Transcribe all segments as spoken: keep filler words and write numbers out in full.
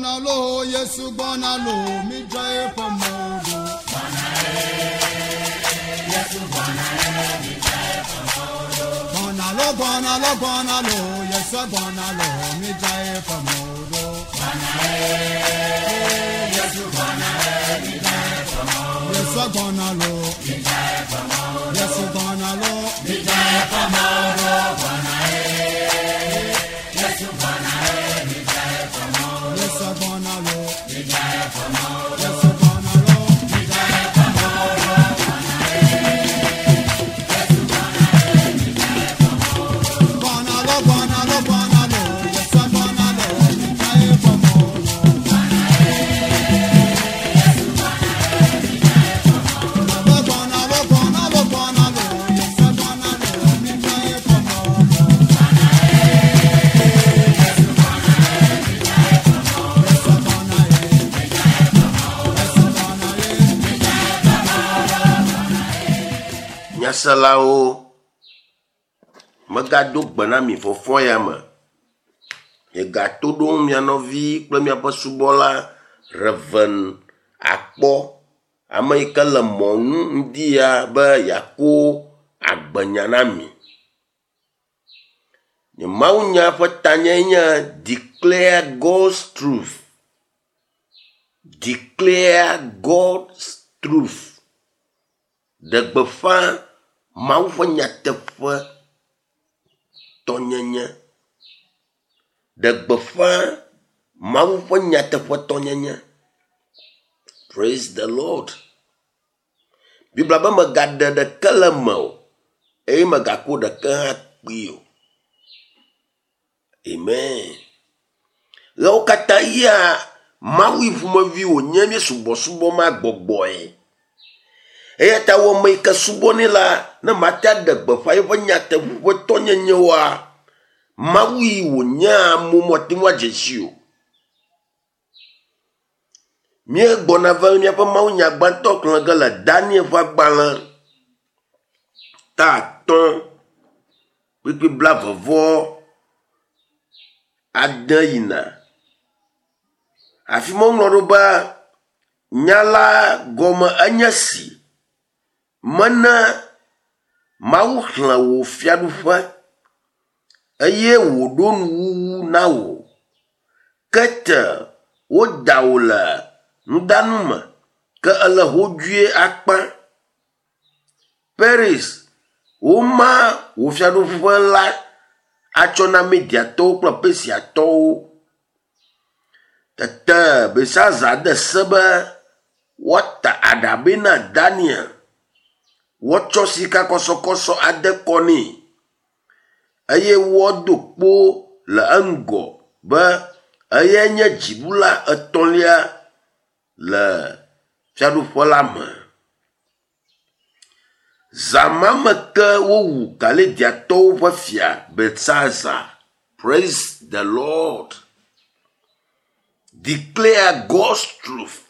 Gbɔna lo, Yesu gbɔna lo, mi dzra eƒe mɔ ɖo. Gbɔna lo, gbɔna lo, gbɔna lo, Yesu gbɔna lo, mi dzra eƒe mɔ ɖo. Yesu gbɔna lo, Yesu gbɔna lo, mi dzra eƒe mɔ ɖo. Yesu gbɔna lo, Yesu gbɔna lo, mi dzra eƒe mɔ ɖo. Gbɔna lo, gbɔna lo, gbɔna lo, Yesu gbɔna lo, mi dzra eƒe mɔ ɖo. Gbɔna lo, gbɔna lo, gbɔna lo, Yesu gbɔna lo, mi dzra eƒe mɔ ɖo. Yesu gbɔna ye, Yesu gbɔna ye. Nyaselawo, megado gbe na mi fɔfɔ ya me. Miegato ɖom mia nɔvi kple miaƒe subɔla Reverend Akpɔ, ame yi ke le mɔnu ŋdi ya be yeako agbenya na mi. Nye mawunya ƒe tanyae nye Declare God's Truth. Declare God's Truth. Ɖe gbeƒã Mawu ƒe nyateƒe tɔnyenye. Ɖe gbeƒã Mawu ƒe nyateƒe tɔnyenye. Praise the Lord. Biblia be megaɖe ɖeke le eme o eye megako ɖeke hã kpee o. Amen. Ɣewo katã yia Mawu yi ƒomevi wònye míesubɔsubɔ ma gbɔgbɔe. Eya ta wɔ ame yi ke subɔnɛ la, ne mate aɖe gbeƒã eƒe nyateƒe tɔnyenye oa, Mawu yi wònye amewo mate ŋu adze si o. Míegbɔna va míaƒe mawunya gbãtɔ xlẽ ge le Daniel ƒe agbalẽ ta atɔ̃ kpukpui blaeve vɔ ade yina. Afi ma woŋlɔ ɖo be nya la gɔme enye si mene Mawu xlẽ wò fiaɖuƒe eye wòɖo nuwuwu na wò. Ke te woda wò le nudanu me ke ele hodzoe akpa. Paris, woma wò fiaɖuƒe la atsɔ na Mediatɔwo kple Persiatɔwo. Tete Belsazar de se be woata aɖabɛ na Daniel, woatsɔ sikakɔsɔkɔsɔ ade kɔ nɛ eye woado kpo le eŋgɔ be eyae nye dziɖula etɔ̃lia le fiaɖuƒe la me. Zã ma me ke wowu Kaldeatɔwo ƒe fia Belsazar. Praise the Lord. Declare God's truth.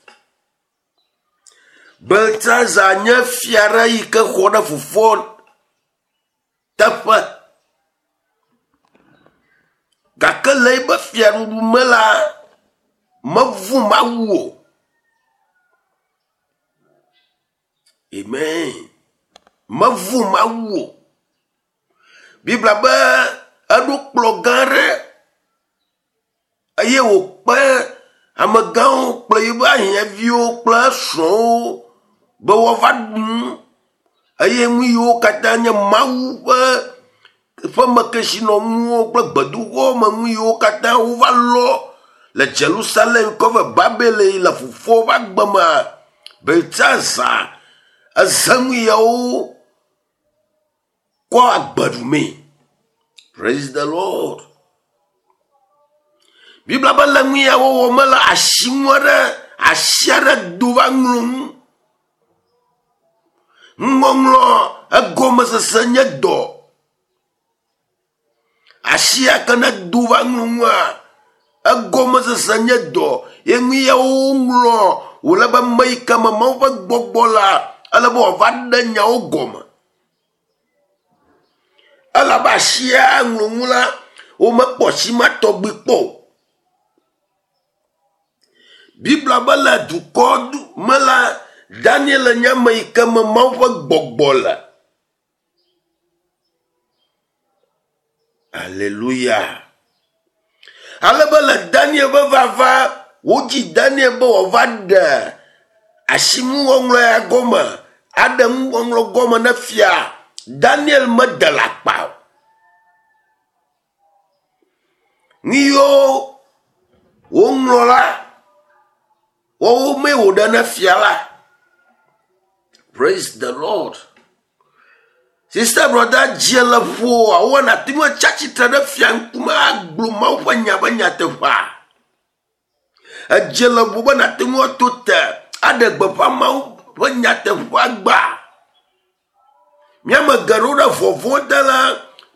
Belsazar nye fia aɖe yi ke xɔ ɖe fofoa teƒe. Gake le eƒe fiaɖuɖu me la, mevu Mawu o. Amen. Mevu Mawu o. Biblia be eɖo kplɔ gã aɖe eye wòkpe amegãwo kple eƒe ahiãviwo kple srɔ̃wo be woava ɖu nu eye nu yiwo katã nye Mawu ƒe ƒemekesinɔnuwo kple gbedoxɔ me nu yiwo katã wova lɔ le Jerusalem kɔ va Babel le fofoa ƒe agbe mea, Belsazar eze nu yawo kɔ agbe ɖumee. Praise the Lord. Biblia be le nu ya wɔwɔ me la, asinu aɖe, asi aɖe do va ŋlɔ nu. Nuŋɔŋlɔ egɔmesese nye dɔ. Asi ya ke ne do va ŋlɔ nua, egɔmesese nye dɔ. Ye nu ya woŋlɔ wòle be ame yi ke me Mawu ƒe gbɔgbɔ la, ele be wòava ɖe nyawo gɔme. Elabe asia ŋlɔ nu la, womekpɔ asi ma tɔgbi kpɔ o. Biblia be le dukɔ me la, Daniel nye ame yi ke me Mawu ƒe gbɔgbɔ le. Aleluya. Ale be le Daniel ƒe vava, wodzi Daniel be wòava ɖe asinuŋɔŋlɔ ya gɔme, aɖe nuŋɔŋlɔ gɔme ne fia. Daniel mede le akpa o. Nu yiwo woŋlɔ la, woawo mee wòɖe ne fia la. Praise the Lord. Sister brother dzi le ƒo awɔ nàte ŋu atsi atsitre ɖe fia ŋkume agblɔ Mawu ƒe nya be nyateƒea. Edze le ƒo be nàte ŋu ato te aɖe gbeƒã Mawu ƒe nyateƒea gbã. Míame geɖewo ɖe vɔvɔ̃ te la,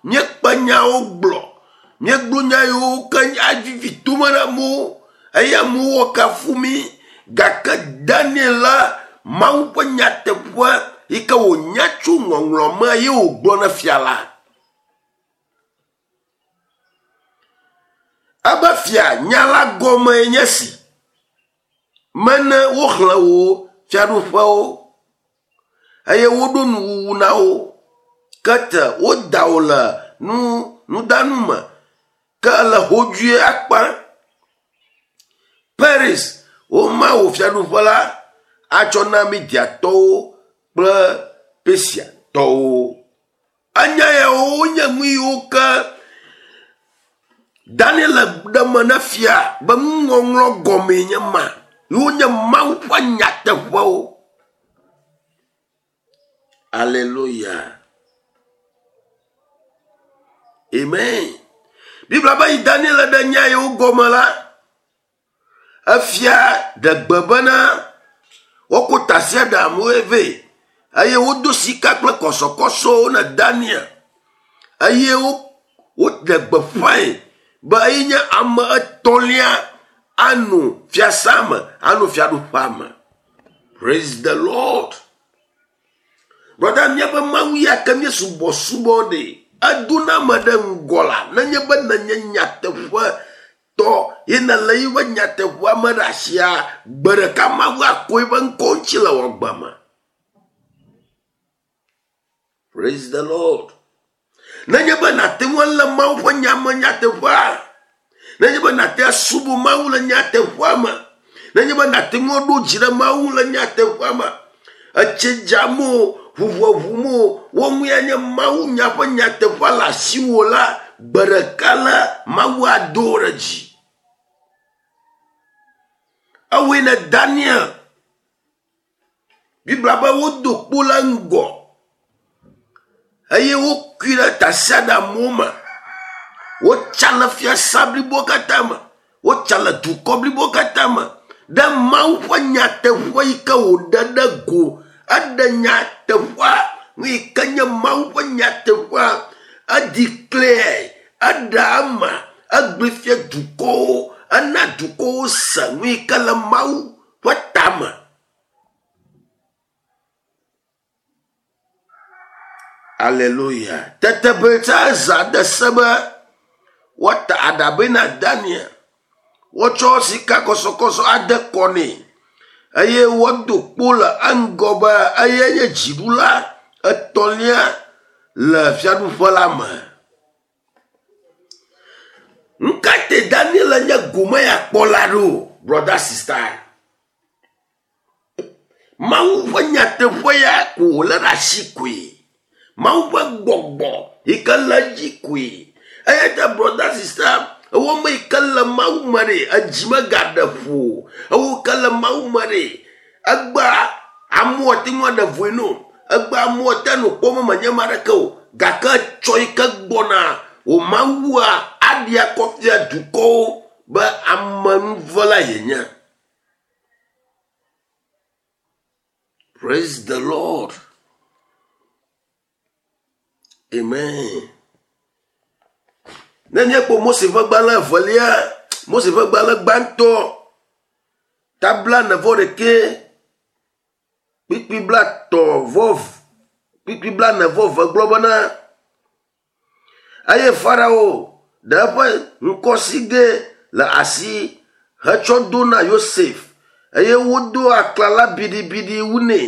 míekpe nyawo gblɔ. Míegblɔ nya yiwo ke avivi tome na amewo eye amewo woakafu mí. Gake Daniel la, Mawu ƒe nyateƒe yi ke wònya tso ŋɔŋlɔ me ye wògblɔ na fia la. Ebe fia nya la gɔme nye si. Mene woxlẽ wò fiaɖuƒewo eye woɖo nuwuwu na wo. Ke te woda wò le nu nudanu me ke ele hodzoe akpa. Paris, woma wò fiaɖuƒe la atsɔ na Mediatɔwo kple Persiatɔwo. Enya yawo wonye nu yiwo ke Daniel ɖe me na fia be nuŋɔŋlɔ gɔmee nye ma. Wonye Mawu ƒe nyateƒewo. Alléluia. Amen. Biblia be yi Daniel ɖe nya yiwo gɔme la, efia ɖe gbe bena wokɔ tasiaɖamwo vɛ eye wodo sika kple kɔsɔkɔsɔwo na Daniel eye woɖe gbeƒãe be eye nye ame etɔ̃lia anɔ fiasã me, anɔ fiaɖuƒea me. Praise the Lord. Brother, míaƒe Mawu ya ke míesubɔsubɔ ɖe, edona ame ɖe ŋgɔ la, nenye be nenye nyateƒe tɔ ye nele yiƒe nyateƒea me ɖe asia, gbe ɖeka Mawu akɔ eƒe ŋkɔ ŋuti le wò agbe me. Praise the Lord. Nenye be nàte ŋu alé Mawu ƒe nya me nyateƒea, nenye be nàte asubɔ Mawu le nyateƒea me, nenye be nàte ŋu aɖo dzi ɖe Mawu le nyateƒea me, etsi dzam o, ʋuʋueʋum o, wo ŋu ya nye Mawu nya ƒe nyateƒea le asiwò la, gbe ɖeka la, Mawu ado wò ɖe dzi. Ewɔe ne Daniel. Biblia be wodo kpo le ŋgɔ eye wokui ɖe tasiaɖamwo me. Wotsa le fiasã blibo katã me. Wotsa le dukɔ blibo katã me. Ɖe Mawu ƒe nyateƒe yi ke wòɖe ɖe go. Eɖe nyateƒea, nu yi ke nye Mawu ƒe nyateƒea, edeclare, eɖe eme, egblɔe fia dukɔwo, ena dukɔwo se nu yi ke le Mawu ƒe tame. Alléluia. Tete Beltsazar de se be woata aɖabɛ na Daniel. Wotsɔ sika kɔsɔkɔsɔ ade kɔ nɛ eye woado kpo le eŋgɔ be eye nye dziɖula etɔ̃lia le fiaɖuƒe la me. Nu ka te Daniel nye gome ya kpɔla ɖo, brother sister? Mawu ƒe nyateƒe ya ko wòlé ɖe asi koe. Mawu ƒe gbɔgbɔ yi ke le edzi koe. Eya ta brother sister, ewo me yi ke le Mawu me ɖe, edzi megaɖe ƒo o. Ewo ke le Mawu me ɖe, egbea amewo ate ŋu aɖe voe no. Egbea amewo ate ŋu kpɔ be menye ame aɖeke o. Gake etsɔ yi ke gbɔna wò Mawua aɖi akɔ fia dukɔwo be amenuvela yenye. Praise the Lord. Amen. Ne míekpɔ Mose ƒe gbalẽ evelia, Mose ƒe gbalẽ gbãtɔ, ta blaene vɔ ɖekɛ, kpukpui blaetɔ̃ vɔ kpukpui blaene vɔ eve gblɔ bena, eye Farao ɖe eƒe ŋkɔsigɛ le asi hetsɔ do na Yosef Eye wodo aklala biɖibiɖi wu nɛ.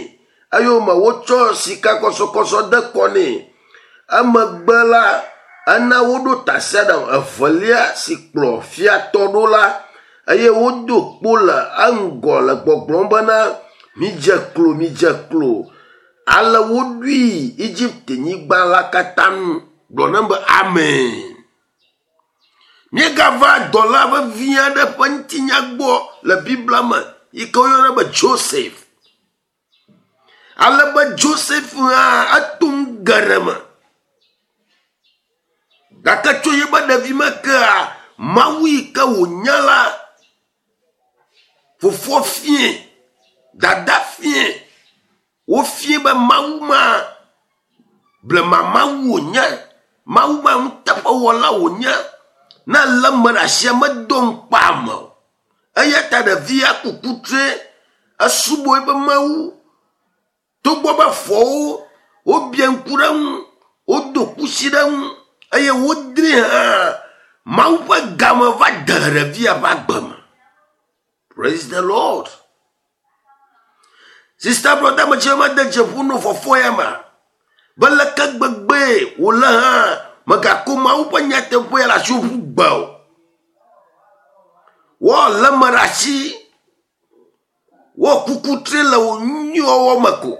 Eyome wotsɔ sikakɔsɔkɔsɔ de kɔ nɛ. Emegbe la, ena woɖo tasiaɖam evelia si kplɔ fiatɔ ɖo la eye wodo kpo le eŋgɔ le gbɔgblɔm bena midze klo, midze klo. Ale woɖui Egipte nyigba la katã nu. Gblɔ nam be amen. Míegava dɔla vevi aɖe ƒe ŋutinya gbɔ le Biblia me yi ke woyɔna be Joseph. Ale be Joseph hã eto nu geɖe me. Gake tso yeƒe ɖevime kea, Mawu yi ke wònya la, fofoa fie, dada fie, wofie be Mawu ma, blema Mawu wònye, Mawu ma nuteƒewɔla wònye, ne elé ame ɖe asia medo ŋukpe ame o. Eya ta ɖevia ku kutre esubɔ eƒe Mawu. Togbɔ be fɔwo wobia ŋku ɖe eŋu, wodo kusi ɖe eŋu eye wodrɛ hã, Mawu ƒe game va de ɖevia ƒe agbe me. Praise the Lord. Sister brother me tse mede dzeƒo no fɔfɔ ya ma. Be leke gbegbee wòle hã megako Mawu ƒe nyateƒe ya le asiwò ƒu gbe o. Woalé ame ɖe asi. Woaku kutre le wò nyuiwɔwɔ me ko.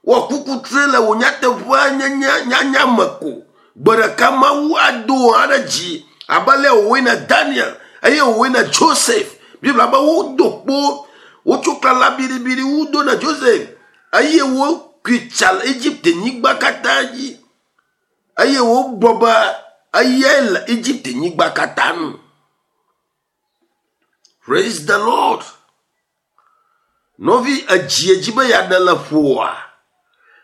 Woaku kutre le wò nyateƒea nyenye nyanya me ko. Gbe ɖeka Mawu ado wò hã ɖe dzi abe ale wòwɔe na Daniel eye wòwɔe na Joseph. Biblia be wodo kpo, wotso klala biɖibiɖi wu do na Joseph eye wokui tsa le Egipte nyigba katã dzi eye wogblɔ be eyae le Egipte nyigba katã nu. Praise the Lord. Nɔvi edzi edzi be yeaɖe le ƒoa.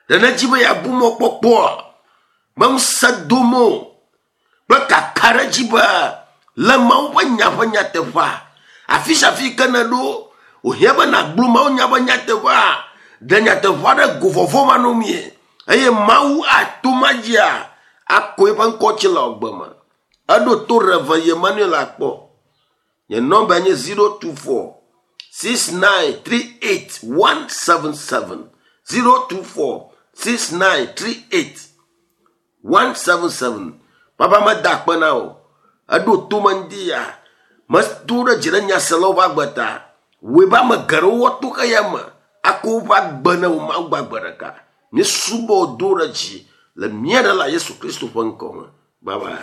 Ɖe nedzi be yeabu mɔkpɔkpɔa. Be ŋusẽ dom o. Kple kaka ɖe dzi be le Mawu ƒe nya ƒe nyateƒea. Afi sia afi ke ne ɖo, wòhiã be nàgblɔ Mawu nya ƒe nyateƒea. Ɖe nyateƒea ɖe go vɔvɔ̃ manɔmee. Eye Mawu ato ma dzia akɔ eƒe ŋkɔ tsi le agbe me. Eɖo to Reverend Emmanuel akpɔ. Nye nɔmba nye zero two four six nine three eight one seven seven zero two four six nine three eight one seven seven. Papa meda akpe na o. Eɖo to me ŋdi ya. Medo ɖe dzi ɖe nyaselawo ƒe agbe ta. Wòe be ame geɖewo woato xeya me akɔ woƒe agbe ne wo Mawu gbagbe ɖeka. Míesubɔ wò do ɖe dzi le mía Ɖela Yesu Kristo ƒe ŋkɔ me. Bye bye.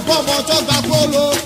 Bọ́bọ̀ tó gbà kóló.